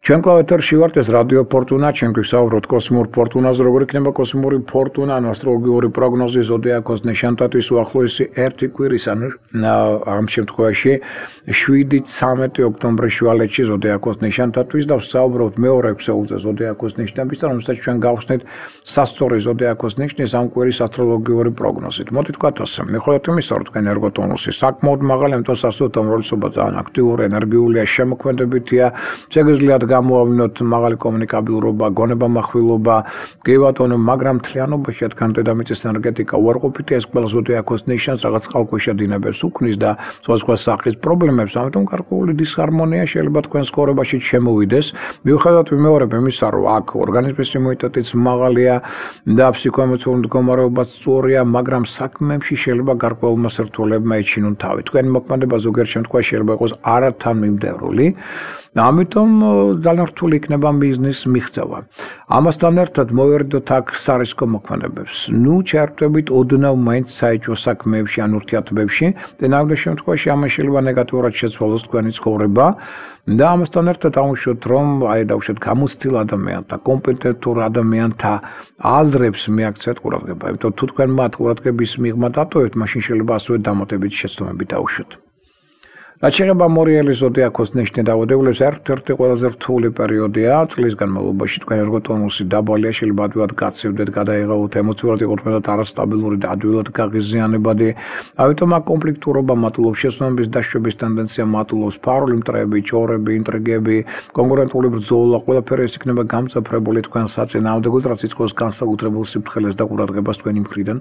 Ჩვენ კლავეთერში ვართ ეს რადიო ფორტუნა, ჩვენ გვისაუბროთ კოსმურ ფორტუნაზე, როგორ იქნება კოსმური ფორტუნა, ასტროლოგიური პროგნოზი, ზოდიაქოს ნიშანთათვის უახლოესი ერთი კვირის, ამ შემთხვევაში 7-13 ოქტომბრის შუალედში ზოდიაქოს ნიშანთათვის და ვსაუბრობთ მეორე ქსეულზე ზოდიაქოს ნიშნების და რომელსაც ჩვენ გავხსნით სასწორი ზოდიაქოს ნიშნის ამ კვირის ასტროლოგიური პროგნოზით. მოდით ვთქვათ ასე, მიხოლოდ ვისაუბროთ თქვენ ენერგოტონუსი, საკმაოდ მაღალი, ამიტომ სასწორად უმრავლესობა ძალიან აქტიური, ენერგიულია, შემოქმედებითია, შეგიძლიათ გამოვავნოთ მაღალი კომუნიკაბილურობა, გონებამახვილობა, გეიბატონო, მაგრამ მთლიანობაში თქვენ დედამიწის ენერგეტიკა უარყოფითი ეს ყველა ზოდიაქოს ნიშანს რაღაც წყალქვეშა დინებებს უქმნის და სხვა სახის პრობლემებს, ამიტომ გარკვეული დისჰარმონია შეიძლება თქვენ ცხოვრებაში შემოვიდეს. მიუხედავად იმეორებ იმისა, რომ აქ ორგანიზმის იმუნიტეტიც მაღალია და ფსიქოემოციური მდგომარეობაც სწორია, მაგრამ საქმეებში შეიძლება გარკვეულმა სირთულეებმა ეჩინონ თავი. თქვენი მოქმედება ზოგიერთ შემთხვევაში შეიძლება იყოს არათანმიმდევრული. ამიტომ ძალიან რთული იქნება მიზნის მიღწევა. ამასთან ერთად მოვერდოთ აქ სარისკო მოქმედებებს. ჩაერთვებით ოდნავ მაინც საეჭვო საქმეებში ან ურთიერთობებში და ნამდვილ შემთხვევაში ამას შეიძლება ნეგატიურად შეცვალოს თქვენი ცხოვრება და ამასთან ერთად აუშვოთ, რომ დაუშვათ გამოცდილ ადამიანთა, კომპეტენტურ ადამიანთა აზრებს მიაქცეთ ყურადღება. იმიტომ თუ თქვენ მათ ყურადღების მიღმა დატოვებთ, მაშინ შეიძლება ასევე დამატებითი შეცდომები დაუშვათ. რაც შეეხება მორიელის ზოდიაქოს ნიშნის დაავადებულებს, ერთ-ერთი ყველაზე რთული პერიოდია წლის განმავლობაში. თქვენ ენერგოტონუსი დაბალია, შეიძლება ადვილად გაცივდეთ, გადაიღალოთ, ემოციურად იყოთ მეტად არასტაბილური და ადვილად გაღიზიანებადი. ამიტომ აქ კონფლიქტურობა მატულობს, შეცდომების დაშვების ტენდენცია მატულობს, ფარული მტრები, ჭორები, ინტრიგები, კონკურენტული ბრძოლა, ყველაფერი ეს იქნება გამწაფრებული თქვენ საწინააღმდეგოდ, რაც იწვევს განსაკუთრებულ სიფრთხილეს და ყურადღებას თქვენი მხრიდან.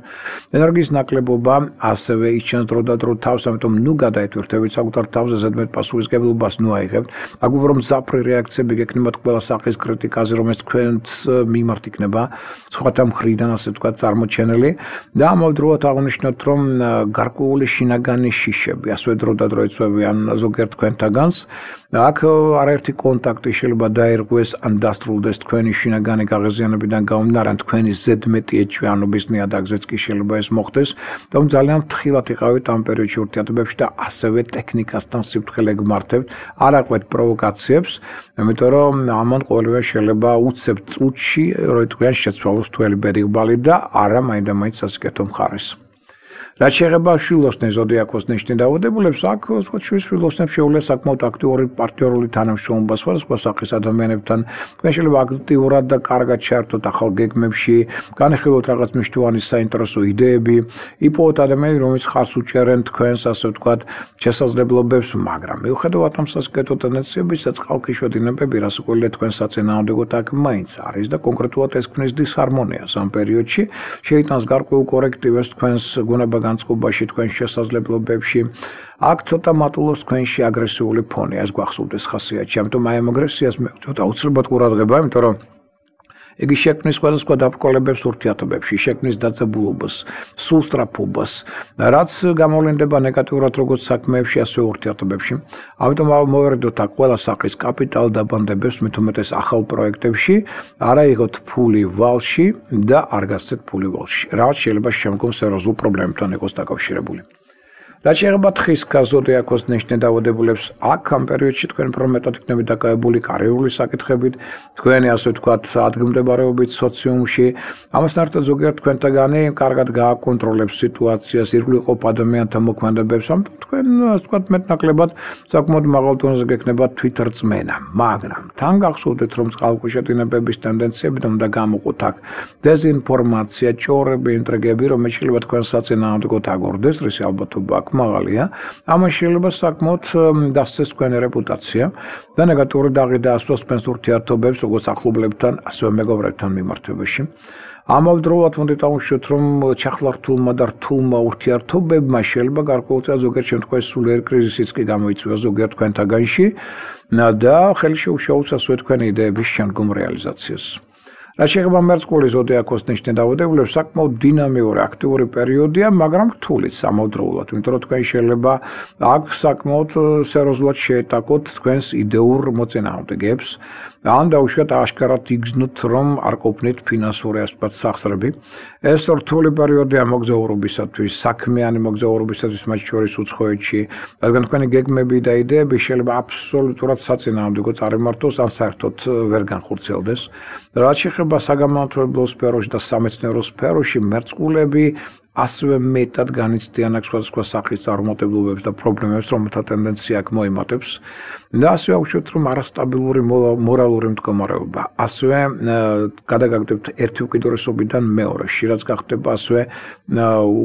ენერგიის ნაკლებობა ასევე იჩენს დრო და დრო თავს, ამიტომ გადაითვირთებით საკუთარ თავზე ზედმეტ პასუხისმგებლობას აიღებთ. აქ უფრო მძაფრი რეაქციები გექნებათ ყველა სახის კრიტიკაზე, რომელიც თქვენს მიმართ იქნება სხვათა მხრიდან, ასე ვთქვათ, წარმოჩენილი და ამავდროულად აღნიშნოთ, რომ გარკვეული შინაგანი შიშები, ასევე დრო და დრო იწვევიან ზოგიერთ თქვენთაგანს. აქ არაერთი კონტაქტი შეიძლება დაერღვეს ან დასრულდეს თქვენი შინაგანი გაღიზიანებიდან გამომდინარე, ან თქვენი ზედმეტი ეჭვიანობის ნიადაგზეც კი შეიძლება ეს მოხდეს. თუმცა ძალიან ფრთხილად იყავით ამ პერიოდში ურთიერთობებში და ასევე ტექნიკასთან სიფრთხილე გმართებთ, არ აყვეთ პროვოკაციებს, იმიტომ რომ ამან ყოველივე შეიძლება უცებ წუთში თქვენ შეცვალოს თველი ბედიღბალი და არა მაინდა-მაინც სასიკეთო მხარეს. რაც შეეხება შვილოსნების ზოდიაქოს ნიშნის დაავადებულებს, აქ შვილოსნებს შეუძლია საკმაოდ აქტიური პარტნიორული თანამშრომლობა სხვადასხვა სახის ადამიანებთან. თქვენ შეიძლება აქტიურად და კარგად ჩაერთოთ ახალ გეგმებში, განეხილოთ რაღაც მნიშვნელოვანი საინტერესო იდეები, იპოვოთ ადამიანები, რომლებიც ხარს უჭერენ თქვენს, ასე ვთქვათ, შესაძლებლობებს, მაგრამ მიუხედავად ამ სასიკეთო ტენდენციებისა, წყალქვეშა დინებები, რასაკვირველია თქვენ საწინააღმდეგოდ აქ მაინც არის და კონკრეტულად ეს ქმნის დისჰარმონიას ამ პერიოდში, შეიტანს გარკვეულ კორექტივებს თქვენს გუნება განწყობაში, თქვენს შესაძლებლობებში. აქ ცოტა მატულობს თქვენში აგრესიული ფონი, ეს გვახსოვდეს ხასიათში. ამიტომ აი ამ აგრესიას მე ცოტა აუცილებლად ყურადღება, იმიტომ რომ იგი შექმნის სხვადასხვა დაბრკოლებებს ურთიერთობებში, შექმნის დაძაბულობას, სულსწრაფობას, რაც გამოვლინდება ნეგატიურად როგორც საქმეებში, ასევე ურთიერთობებში. ამიტომ მოვერდოთ აქ ყველა სახის კაპიტალ დაბანდებებს, მით უმეტეს ახალ პროექტებში, არა იღოთ ფული ვალში და არ გასცეთ ფული ვალში, რაც შეიძლება შემდგომ სერიოზულ პრობლემებთან იყოს დაკავშირებული. რაც შეეხება თხის ზოდიაქოს ნიშნის დაავადებულებს, აქ ამ პერიოდში თქვენ უფრო მეტად იქნებით დაკავებული კარიერული საკითხებით, თქვენი ასე ვთქვათ ადგილმდებარეობით სოციუმში. ამასთან ერთად ზოგიერთ თქვენთაგანი კარგად გააკონტროლებს სიტუაციას, ირგვლივ ყოფ ადამიანთა მოქმედებებს, ამიტომ თქვენ ასე ვთქვათ მეტნაკლებად საკმაოდ მაღალ დონეზე გექნებათ თვითრწმენა, მაგრამ თან გახსოვდეთ, რომ წყალქვეშა დინებების ტენდენციებიდან უნდა გამოყოთ აქ დეზინფორმაცია, ჭორები, ინტრიგები, რომელიც შეიძლება თქვენ საწინააღმდეგოდ აგორდეს, რის ალბათობა აქ მაღალია, ამას შეიძლება საკმაოდ დასცეს თქვენი რეპუტაცია და ნეგატიური დაღი დაასვას თქვენს ურთიერთობებს, როგორც ახლობლებთან, ასევე მეგობრებთან მიმართებაში. ამავდროულად უნდა დავუშვათ, რომ ჩახლართულმა და რთულმა ურთიერთობებმა შეიძლება გარკვეულწილად ზოგიერთ შემთხვევაში სულიერ კრიზისიც კი გამოიწვიოს ზოგიერთ თქვენთაგანში და ხელი შეუშაოს ასევე თქვენი იდეების შემდგომ რეალიზაციას. რაც შეეხება მერწყული ზოდიაქოს ნიშნის დაავადებულებს, საკმაოდ დინამიური აქტიური პერიოდია, მაგრამ რთულიც ამავდროულად, იმიტომ რომ თქვენ შეიძლება აქ საკმაოდ სერიოზულად შეეტაკოთ თქვენს იდეურ მოწინააღმდეგეებს, ან დაუშვათ აშკარად იგრძნოთ, რომ არ ყოფნით ფინანსური სახსრები. ეს რთული პერიოდია მოგზაურობისათვის, საქმიანი მოგზაურობისათვის მათ შორის უცხოეთში, რადგან თქვენი გეგმები და იდეები შეიძლება აბსოლუტურად საწინააღმდეგო წარიმართოს, ან საერთოდ ვერ განხორციელდეს. რაც შეეხება საგანმანათლებლო სფეროში და სამეცნიერო სფეროში, მერწყულები ასევე მეტად განიცდიან აქ სხვადასხვა სახის წარუმატებლობებს და პრობლემებს, რომელთა ტენდენცია აქ მოიმატებს. და ასევე აუშვათ, რომ არასტაბილური მორალური მდგომარეობა, ასევე გადაგაგდებთ ერთი უკიდურესობიდან მეორეში, რაც გახდება ასევე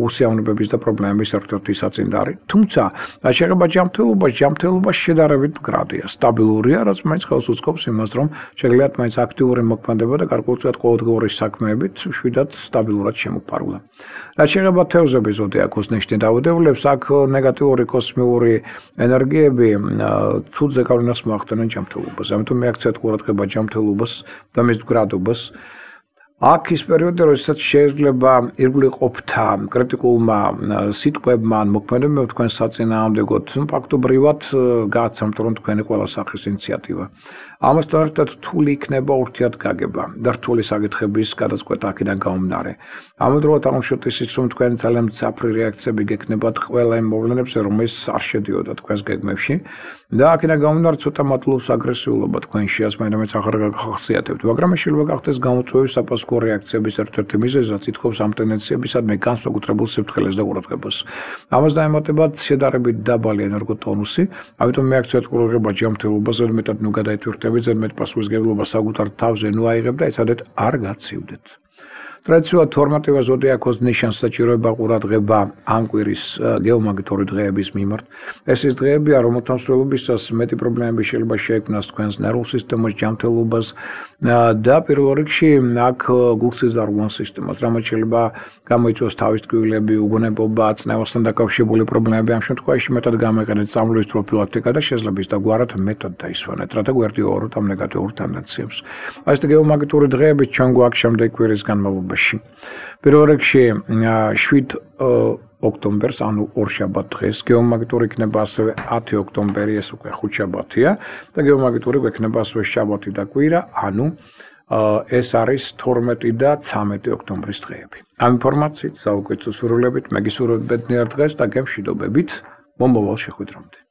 უსიამოვნებების და პრობლემების ერთ-ერთი საწინდარი. თუმცა, შეეხება ჯანმრთელობა შედარებით მდგრადია, სტაბილურია, რაც მაინც ხელს უწყობს იმას, რომ შეგიძლიათ მაინც აქტიური მოქმედება და გარკვეულწილად ყოველდღიური საქმეებით შვიდად სტაბილურად შემოფარგლა. რაც შეეხება თევზების ზოდიაქოს ნიშნის დაავადებულებს, აქ ნეგატიური კოსმიური ენერგიები ცუდ ზეგავლენას მოახდენენ ჯანმრთელობას. ამიტომ მიაქცეთ ყურადღება ჯანმრთელობას და მის მდგრადობას. აქ ის პერიოდი, როდესაც შეიძლება ირგვლივ ყოფთა კრიტიკულმა სიტყვებმა ან მოქმედებებმა თქვენ საწინააღმდეგოდ, ფაქტობრივად გააცამთ, რომ თქვენი ყველა სახის ინიციატივა. ამასთან ერთად რთული იქნება ურთიერთგაგება და რთული საკითხების გადაწყვეტა აქედან გამომდინარე. ამავდროულად აღმოჩნდეთ ისიც, რომ თქვენ ძალიან მძაფრი რეაქციები გექნებათ ყველა იმ მოვლენებზე, რომელიც არ შედიოდა თქვენს გეგმებში და აქედან გამომდინარე ცოტა მატლობს აგრესიულობა თქვენში, ამიტომაც აღარ გახასიათებთ, მაგრამ ეს შეიძლება გახდეს გამოწვევის საპასუხო რეაქციების ერთ-ერთი მიზეზი, რაც ითხოვს ამ ტენდენციებისადმი განსაკუთრებულ სიფრთხილეს და ყურადღებას. ამას დაემატებათ შედარებით დაბალი ენერგოტონუსი, ამიტომ მიაქცეთ ყურადღება ჯანმრთელობაზე, მეტად ნუ გადაითვირთებით, ზედმეტ პასუხისმგებლობა საკუთარ თავზე ნუ აიღებ და ეცადეთ არ გაცივდეთ. ტრადიციულად 12 ზოდიაქოს ნიშანს საჭიროება ყურადღება ამ კვირის გეომაგნიტური დღეების მიმართ. ეს ის დღეებია, რომელთა მსვლელობისას მეტი პრობლემები შეიძლება შეექმნას თქვენს ნერვულ სისტემას, ჯანმრთელობას და პირველ რიგში აქ გულსიზარღვან სისტემას, რამაც შეიძლება გამოიწვიოს თავის ტკივილები, უგონებობა, წნევასთან დაკავშირებული პრობლემები. ამ შემთხვევაში მეტად გამოიყენეთ წამლების პროფილაქტიკა და შეძლებს დაგვარად მეტად დაისვენეთ, რათა გვერდიოროთ ამ ნეგატიურ ტენდენციებს. ეს გეომაგნიტური დღეები ჩვენ გვაქვს შემდეგ კვირის განმავლობაში. პირველ რიგში 7 ოქტომბერს, ანუ ორშაბათ დღეს, გეომაგნიტური იქნება ასევე 10 ოქტომბერი, ეს უკვე ხუთშაბათია და გეომაგნიტური გვექნება ასევე შაბათი და კვირა, ანუ ეს არის 12 და 13 ოქტომბრის დღეები. ამ ინფორმაციით საუკეთესო სურვილებით, მეგისურვებთ ბედნიერ დღეს და გემშვიდობებით მომავალ შეხვედრამდე.